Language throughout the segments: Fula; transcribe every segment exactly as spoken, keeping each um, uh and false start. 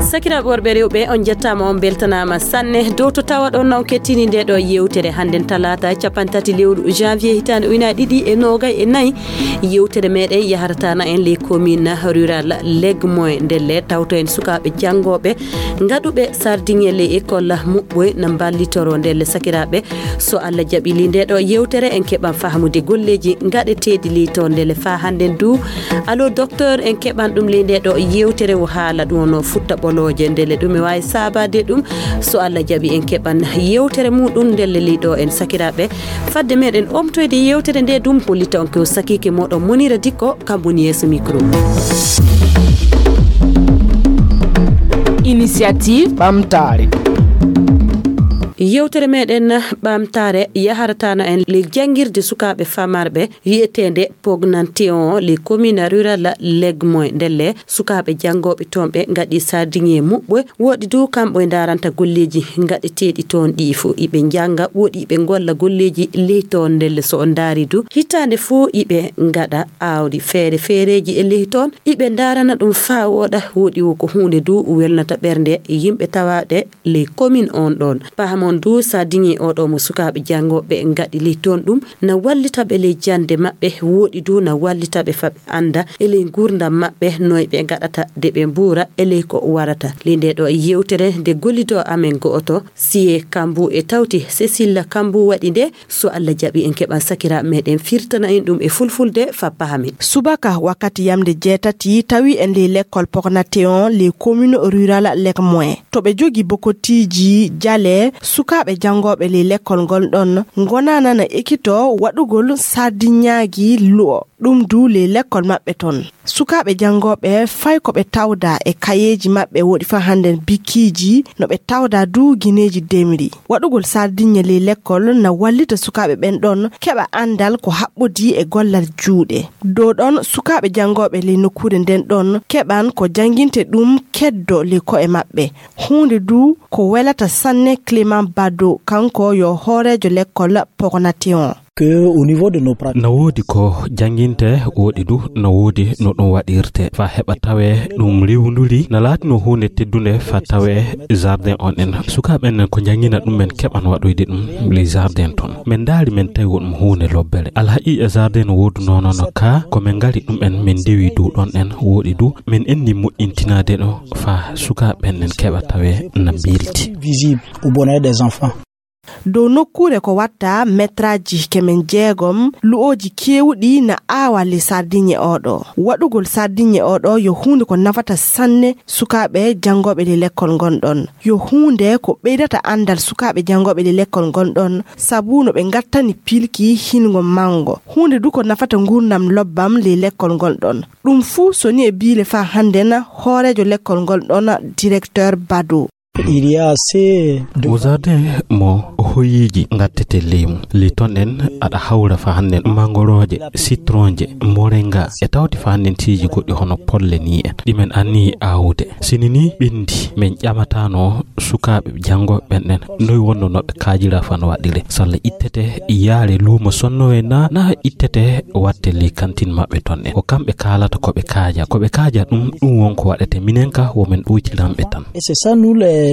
Sakiraaɓe worɓe, rewɓe, on njettaama, on mbeltanaama sanne dow to tawa ɗon na on kettini nde ɗo yewtere hannden talaata cappanɗe tati lewru janvier hitaande ujunaaji ɗiɗi e noogay e nayi. Yewtere meɗen yaharata na en les communes rurales Legmoy ndelle tawto en sukaaɓe janngooɓe ngaɗuɓe sardinye les écoles muɓɓoy na mballitoro ndelle sakiraaɓe. So Allah jaɓi ley nde ɗo yewtere en keɓan fahmude golleeji ngaɗeteeɗi ley to ndelle faa hannden du. Allo docteur, en keɓan ɗum ley nde ɗo yewtere wo haala ɗum no futta ɓolooje ndelle ɗum e waawi saabaade ɗum. So Allah jaɓi en keɓan yewtere muɗum ndelle ley ɗo en sakiraaɓe. Fadde meɗen omtoyde yewtere nde ɗum hollita on ko sakiike moɗon Monira Dikko kam woni yeeso micro. Initiative ɓamtaare. Yewtere meɗen ɓamtaare yaharatana en le janngirde sukaaɓe famarɓe wi'eteende Pognanteon le commune rural Legmoy ndelle sukaaɓe janngooɓe toon ɓe ngaɗi sardinye muɓɓoy. Woɗi du kamɓe ndaranta golleeji ngaɗeteeɗi toon ɗi fof iɓe njannga, woɗi iɓe ngolla golleeji ley toon ndelle so on ndaari du hitaande fof iɓe ngaɗa aawdi feere feereeji e ley toon iɓe ndarana ɗum faa wooɗa. Woɗi wo ko huunde du welnata ɓernde yimɓe tawaaɗe ley commune on ɗoon. Pahamon du sardinye oɗo mo sukaaɓe janngooɓe ngaɗi ley toon ɗum na wallita ɓe ley jannde maɓɓe, woɗi du na wallita ɓe faa ɓe annda e ley nguurndam maɓɓe noy ɓe ngaɗata de ɓe mbuura e ley ko warata. Ley nde ɗo yewtere nde gollido amen go'oto Siye Kambu e tawti Cécile Kambu waɗi nde. So Allah jaɓi en keɓan sakiraaɓe meɗen firtana en ɗum e fulfulde faa pahamen. Subaka wakkati yamde jeetati tawi en ley lekkol Pognateon ley commune rural Lekmoin. To ɓe jogi bokotiiji jale sukaaɓe janngooɓe ley lekkol ngol ɗon ngonanana ekito waɗugol sardinyaagi lu'o. Ɗum du ley lekkol maɓɓe ton. Sukaaɓe janngooɓe fay ko ɓe tawda e kayeeji maɓɓe woɗi faa hannden bikkiiji no ɓe tawda du gineeji demri. Waɗugol sardinye ley lekkol na wallita sukaaɓe ɓen ɗon keɓa anndal ko haɓɓodii e gollal juuɗe. Dow ɗon sukaaɓe janngooɓe ley nokkuure nden ɗon keɓan ko jannginte ɗum keddo ley ko'e maɓɓe. Huunde du ko welata sanne Clément Bado, kanko yo hooreejo lekkol Pognateon. Que au niveau de nos pratiques. Na woodi ko jannginte, woodi du na woodi no ɗum waɗirte faa heɓa tawee ɗum riiwnduri, na laatino huunde teddunde faa tawee jardin on en. Sukaaɓe en ko njanngina ɗum en keɓan waɗoyde ɗum les jardin toon. Men ndaari men tawi wo ɗum huunde lobbere. Alhaqiiqa jardin no woodunoo noon ka ko men ngari ɗum en men ndewi dow ɗon en woodi du men enni moƴƴintinaade ɗo faa sukaaɓe en en keɓa tawee na mbilti. Visible au bonheur des enfants. Dow nokkuure ko watta metraaji kemen jeegom, lu'ooji keewuɗi na aawa ley sardinye oɗo. Waɗugol sardinye oɗo yo huunde ko nafata sanne sukaaɓe janngooɓe ley lekkol ngon ɗon. Yo huunde ko ɓeydata anndal sukaaɓe janngooɓe ley lekkol ngon ɗon, sabu no ɓe ngattani pilki hilngo manngo. Huunde du ko nafata nguurndam lobbam ley lekkol ngol ɗon. Ɗum fuu so ni e biile faa hannden hooreejo lekkol ngol ɗon, directeur Bado. Il y a assez de Mo jardin mo hoyiiji ngattete leymu. Ley ton en aɗa hawra faa hannden mangorooje, sitronje, moringa, e tawti faa hannden siiji goɗɗi hono polle ni en. Ɗi men anniyi aawude. Sini ni ɓenndi, men ƴamatano sukaaɓe janngooɓe ɓen ɗen. Noy wonno no ɓe kaajira faa no waɗire. Salla ittete yaare luumo sonnowe na, na ittete watte ley kantin maɓɓe ton en. Ko kamɓe kaalata ko ɓe kaaja. Ko ɓe kaaja ɗum, ɗum won ko waɗete. Minen ka wo men ɗoytiranɓe tan. Et c'est ça, nous les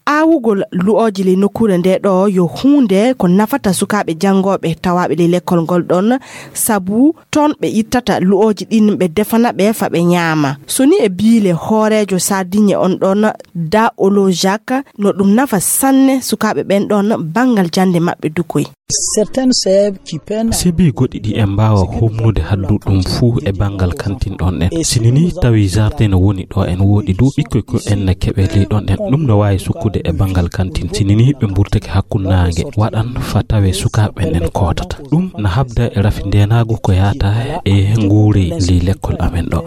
Aawugol lu'ooji ley nokkuure nde ɗo yo huunde ko nafata sukaaɓe janngooɓe tawaaɓe ley lekkol ngol ɗon, sabu ton ɓe ittata lu'ooji ɗin ɓe defana ɓe faa ɓe ñaama. So ni e biile hooreejo sardinye on ɗon, Da Olo Jacques, no ɗum nafa sanne sukaaɓe ɓen ɗon banngal jannde maɓɓe dukoy. Certaines sèves qui peinent. Sebi goɗɗi ɗi en mbaawa humnude haddu ɗum fuu e banngal kantin ɗon en. Sini ni tawi jardin no woni ɗo en woodi du ɓikkoy ko en na keɓe ley ɗon en. Ɗum no waawi sukkude e banngal kantin. Sini ni ɓe mburtake hakkunde naange waɗan faa tawe sukaaɓe ɓen en kootata. Ɗum na habda e rafi ndeenaagu ko yaata e nguurey ley lekkol amen ɗo.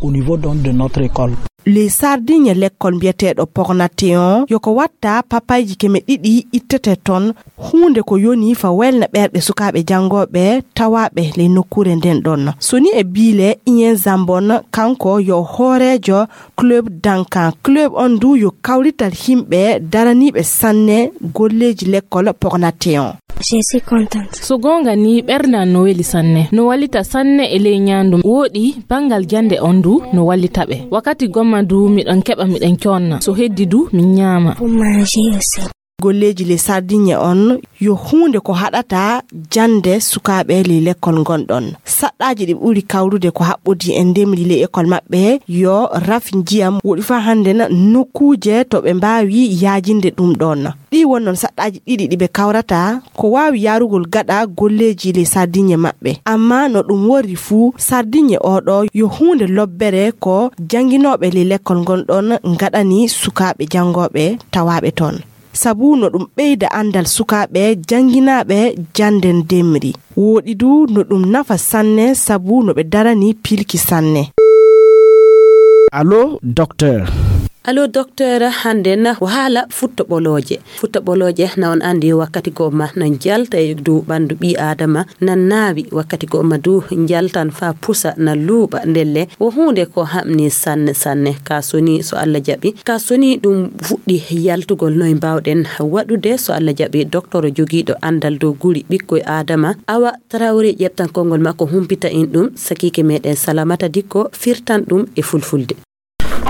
Au niveau donc de notre école. Ley sardinye lekkol mbiyeteeɗo Pognateon yo ko watta papayji keme ɗiɗi ittete ton. Huunde ko yoni faa welna ɓerɗe sukaaɓe janngooɓe tawaaɓe ley nokkuure nden ɗon. So ni e biile Iyen Zambon, kanko yo hooreejo club Dankan. Club on du yo kawrital yimɓe daraniiɓe sanne golleeji lekkol Pognateon. Je suis contente. So goonga ni, ɓernde an no weli sanne. No wallita sanne e ley ñaandu. Wooɗi, banngal jannde on du no wallita ɓe. Wakkati gomma du, miɗon keɓa, miɗen coonna. So heddi du, min ñaama. Pour manger aussi. Golleeji ley Sardiɲe on yo huunde ko haɗata jannde sukaaɓe ley lekkol ngonɗon. Saɗɗaaji ɗi ɓuri kawrude ko haɓɓodi e ndemri ley ekol maɓɓe, yo raf njiyam woɗi faa hannde na nokkuuje to ɓe mbaawi yaajinde ɗum ɗon. Ɗi won noon saɗɗaaji ɗiɗi ɗi ɓe kawrata ko waawi yaarugol gaɗa golleeji ley Sardiɲe maɓɓe. Amma no ɗum worri fuu, Sardiɲe oo ɗoo yo huunde lobbere ko jannginooɓe ley lekkol ngonɗon ngaɗani sukaaɓe janngooɓe tawaaɓe toon. Sabu no ɗum ɓeyda anndal sukaaɓe jannginaaɓe jannde ndemri. Wooɗi du no ɗum nafa sanne sabu no ɓe darani pilki sanne. Allo, docteur. Allo, docteur, hannde na ko haala futtaɓolooje. Futtaɓolooje na on anndi wakkati goo ma na njalta e dow ɓanndu ɓii Aadama, na naawi wakkati goo ma du njaltan faa pusa na luuɓa ndelle. Wo huunde ko hamni sanne sanne. Ka soni so Alla jaɓi. Ka soni ɗum fuɗɗi yaltugol, noy mbaawɗen waɗude so Alla jaɓi? Docteur jogiiɗo anndal dow guri ɓikkoy Aadama, Awa Traoré, ƴeɓtan konngol makko, humpita en ɗum. Sakiike meɗen Salamata Dikko firtan ɗum e fulfulde.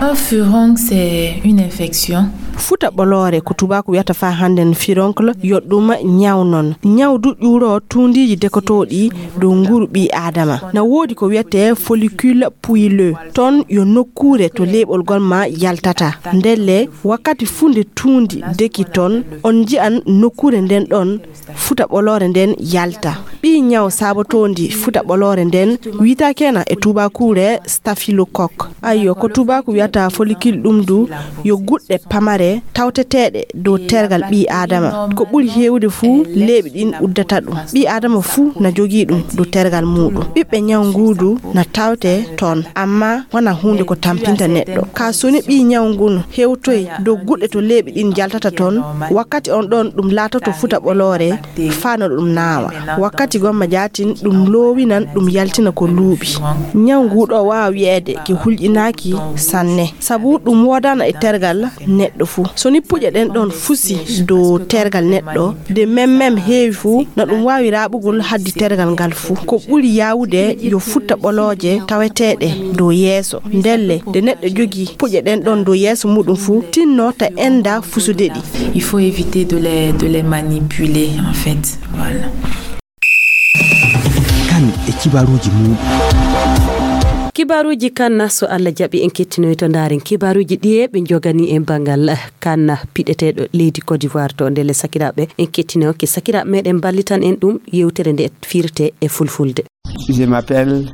Un furoncle, c'est une infection. Futa ɓoloore ko tubaaku wiyata faa hannden furoncle, yo ɗum ñaw non. Ñaw du ƴuuro tuundiiji dekotooɗi dow nguru ɓii Aadama. Na woodi ko wiyetee follicule puilleux. Toon yo nokkuure to leeɓol gol ma yaltata. Ndelle, wakkati fuu nde tuundi deki toon, on nji'an nokkuure nden ɗon futa ɓoloore nden yalta. Ɓii ñaw saabotoondi futa ɓoloore nden wi'etakeena e tuubaakuure staphylocoque. Ayyo, ko tuubaaku wi'ata follicule ɗum du yo guɗɗe pamare tawteteeɗe dow tergal ɓii Aadama. Ko ɓuri heewude fuu leeɓi ɗin uddata ɗum. Ɓii Aadama fuu na jogii ɗum dow tergal muuɗum. Ɓiɓɓe ñaw nguu du na tawte toon, amma wona huunde ko tampinta neɗɗo. Ka soni ɓii ñaw ngun hewtoy dow guɗɗe to leeɓi ɗin jaltata toon, wakkati on ɗon ɗum laatoto futa ɓoloore faa no ɗum naawa. Wakkati gomma jaatin ɗum loowinan, ɗum yaltina ko luuɓi. Ñaw nguu ɗoo waawa wi'eede ki hulƴinaaki sanne, sabu ɗum woodana e tergal neɗɗo fuu. So ni puƴe ɗen ɗon fusi dow tergal neɗɗo, de mem mem heewi fuu, na ɗum waawi raaɓugol haddi tergal ngal fuu. Ko ɓuri yaawude yo futta ɓolooje taweteeɗe dow yeeso. Ndelle, nde neɗɗo jogii puƴe ɗen ɗon dow yeeso muuɗum fuu, tinno ta enda fusude ɗi. Il faut éviter de les, de les manipuler, en fait. Voilà. Kan e kibaruuji muuɗum. Kibaruuji kan na, so Alla jaɓi, en kettinoy to ndaaren kibaruuji ɗiye ɓe njogani en banngal kan na piɗeteeɗo leydi Côte d'Ivoire. To ndelle sakiraaɓe, en kettinoy ke sakiraaɓe meɗen mballitan en ɗum yewtere nde firte e fulfulde. Je m'appelle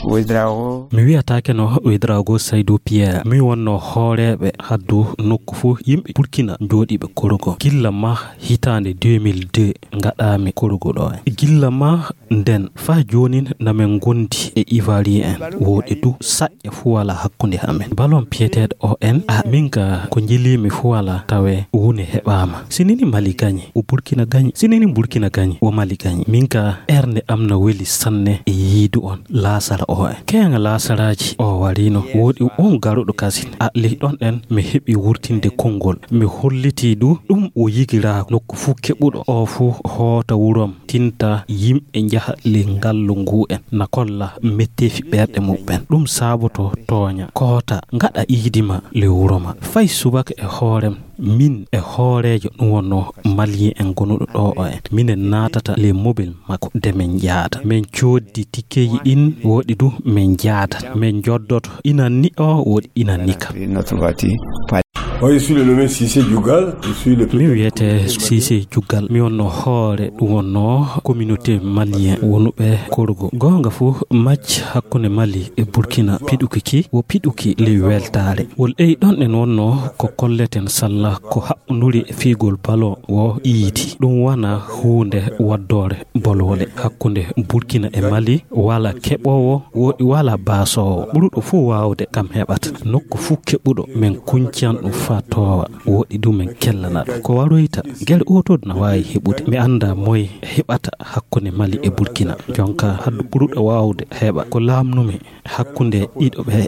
Ouedraogo. Mi wiyataake no Ouedraogo Saïdou Pierre. Mi wonno hooreeɓe haddu nokku fuu yimɓe Burkina jooɗiiɓe korogo. Gilla ma hitaande deux mille deux ngaɗaami korogo ɗo. Gilla ma nden faa joonin na men ngondi e Ivoirien en. Wooɗi du saƴƴe fuu walaa hakkunde amen. Balon piyeteeɗo o en, a min ka ko njeliimi fuu walaa tawe wune heɓaama. Sinini Mali gañi, o Burkina gañi. Sinini Burkina gañi, o Mali gañi. Min ka ernde am na weli sanne e yiidu on laasara o en. Keeŋa laasaraaji o warino, wooɗi on garuɗo kasin. A li ɗon ɗen mi heɓi wurtinde konngol. Mi hollitii du ɗum o yigiraa nokku fuu keɓuɗo o fuu hoota wurom. Tinta yimɓe njaha ley ngallu nguu en na kolla metteefi ɓerɗe muɓɓen. Ɗum saaboto tooña, koota, ngaɗa iidi ma ley wuro ma. Fay subaka e hoorem, min e hooreejo ɗum wonno Malien en gonuɗo ɗo o en. Minen naatata ley mobil makko de min njaada. Min cooddi tikkeeji ɗin, wooɗi du min njaada. Min njoddoto inan ni o, wooɗi inan ni ka. Moi, je suis le nommé Cissé Djougal, je suis le Mi wiyete Cissé Djougal. Mi wonno hoore ɗum wonno communauté malien wonuɓe Korogo. Goonga fuu, macce hakkunde Mali e Burkina piɗuki ki wo piɗuki ley weltaare. Wol ɗey ɗon en wonno ko kolleten salla ko haɓɓunduri e fiigol ballon wo iidi. Ɗum wona huunde waddoore bolwole hakkunde Burkina e Mali, wala keɓoowo, wooɗi wala baasoowo. Ɓuruɗo fuu waawde kam heɓata. Nokku fuu keɓuɗo, men kuñcan ɗum faa toowa, woɗɗi ɗum en kellana ɗum. Ko waroyta, gere ootooɗo na waawi heɓude. Mi anndaa moy heɓata hakkunde Mali e Burkina. Jonka, haddu ɓuruɗo waawde heɓa ko laamnumi hakkunde ɗiɗo ɓe,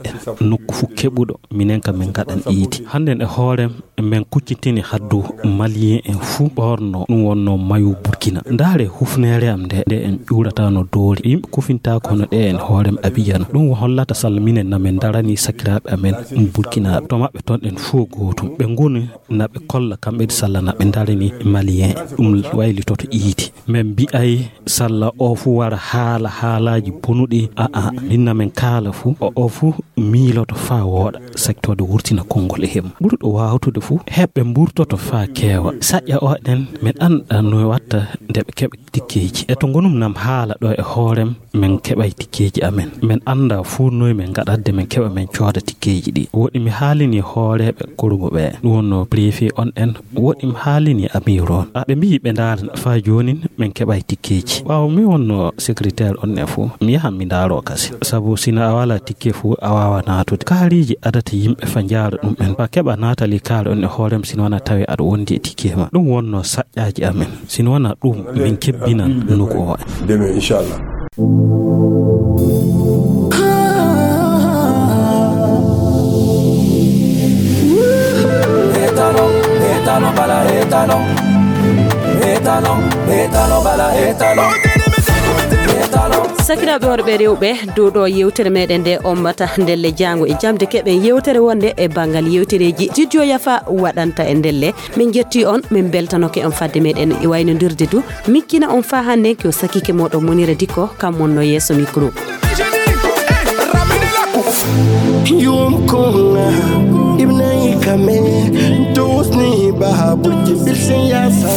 nokku fuu keɓuɗo, minen kam min ngaɗan iidi. Hannden e hoorem, min kuccitini haddu Malien en fuu ɓorno, ɗum wonno mayo Burkina. Ndaare hufneere am nde, nde en ƴuurataano doole. Yimɓe kufintaako hono ɗe en hoorem Abijano. Ɗum hollata salla minen na min ndarani sakiraaɓe amen Burkinaaɓe. To maɓɓe ton en fuu gootum. Ɓe ngoni na ɓe kolla kamɓe salla na ɓe ndarani Malien. Ɗum waylitoto iidi. Min mbi'ay salla o fuu wara haala haalaaji bonuɗi. A'a, min na min kaala fuu. O, o fuu miiloto faa wooɗa, sakkitooɓe wurtina konngol e hemma. Ɓurɗo waawtude fuu, heɓɓe mburtoto faa keewa. Saƴƴa o ɗen, min annda no watta nde ɓe keɓa tikkeeji. E to ngonum nam haala ɗo e hoorem, min keɓay tikkeeji amen. Min annda fuu noy min ngaɗadde min keɓa min cooda tikkeeji ɗi. Woɗɗi mi haalini hooreeɓe Korogo ɓe, ɗum wonno préfet on en, woɗɗi mi haalini amiiru on. A, ɓe mbiyi ɓe ndaara faa joonin min keɓay tikkeeji. Ɓaawo mi wonno secrétaire on e fuu, mi yahan mi ndaaroo kasi. Sabu sina a walaa tikke fuu, a waawaa naatude. Kaariiji adata yimɓe faa njaara ɗum en. Faa keɓa naatali kaari on e hoorem sina wanaa tawi aɗa wondi e tikke ma. Ɗum wonno saƴƴaaji amen. Sina wanaa ɗum, min kebbinan nuku o. Demain, inchallah. Sakiraaɓe worɓe rewɓe, dow ɗo yewtere meɗen nde ommata ndelle jaango e jamde keɓen yewtere wonde e banngal yewtereeji Studio Yafa waɗanta e ndelle. Min jetti on, min beltanoke on fadde meɗen e waynondirde du. Miccina on faa hannde ko sakike moɗon Monira Dikko, kam wonno yeeso micro. Yum kunga ibnai kame dusni bahabuji bilsin yasa.